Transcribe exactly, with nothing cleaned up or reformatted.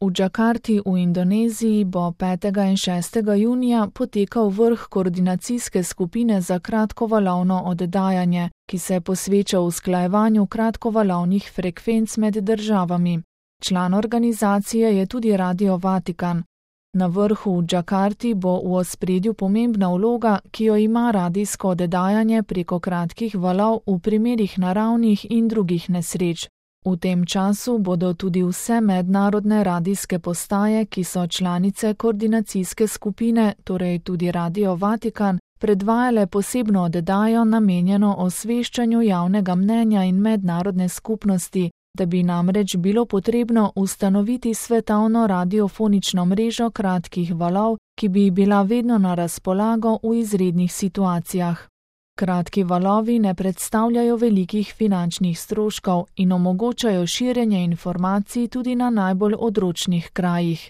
V Džakarti v Indoneziji bo petega in šestega junija potekal vrh koordinacijske skupine za kratkovalovno oddajanje, ki se posveča usklajevanju kratkovalovnih frekvenc med državami. Član organizacije je tudi Radio Vatikan. Na vrhu v Džakarti bo v ospredju pomembna vloga, ki jo ima radijsko oddajanje preko kratkih valov v primerih naravnih in drugih nesreč. V tem času bodo tudi vse mednarodne radijske postaje, ki so članice koordinacijske skupine, torej tudi Radio Vatikan, predvajale posebno oddajo namenjeno osveščanju javnega mnenja in mednarodne skupnosti, da bi namreč bilo potrebno ustanoviti svetovno radiofonično mrežo kratkih valov, ki bi bila vedno na razpolago v izrednih situacijah. Kratki valovi ne predstavljajo velikih finančnih stroškov in omogočajo širjenje informacij tudi na najbolj odročnih krajih.